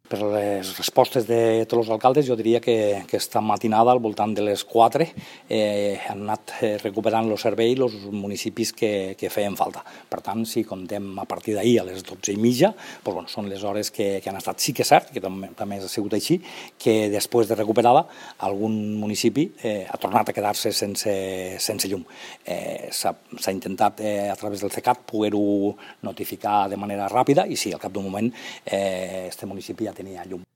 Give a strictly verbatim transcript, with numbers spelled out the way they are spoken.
per les respostes de tots els alcaldes, jo diria que, que esta matinada, al voltant de les quatre, eh, han anat recuperant el servei els municipis que, que feien falta. Per tant, si comptem a partir d'ahir a les dotze i mitja, doncs, bueno, són les hores que, que han estat. Sí que és cert, que també, també ha sigut així, que després de recuperada, algun municipi eh, ha tornat a quedar-se sense, sense llum. Eh, S'ha intentat eh, a través del CECAT poder-ho notificar de manera ràpida i sí, al cap d'un moment eh, este municipi ja tenia llum.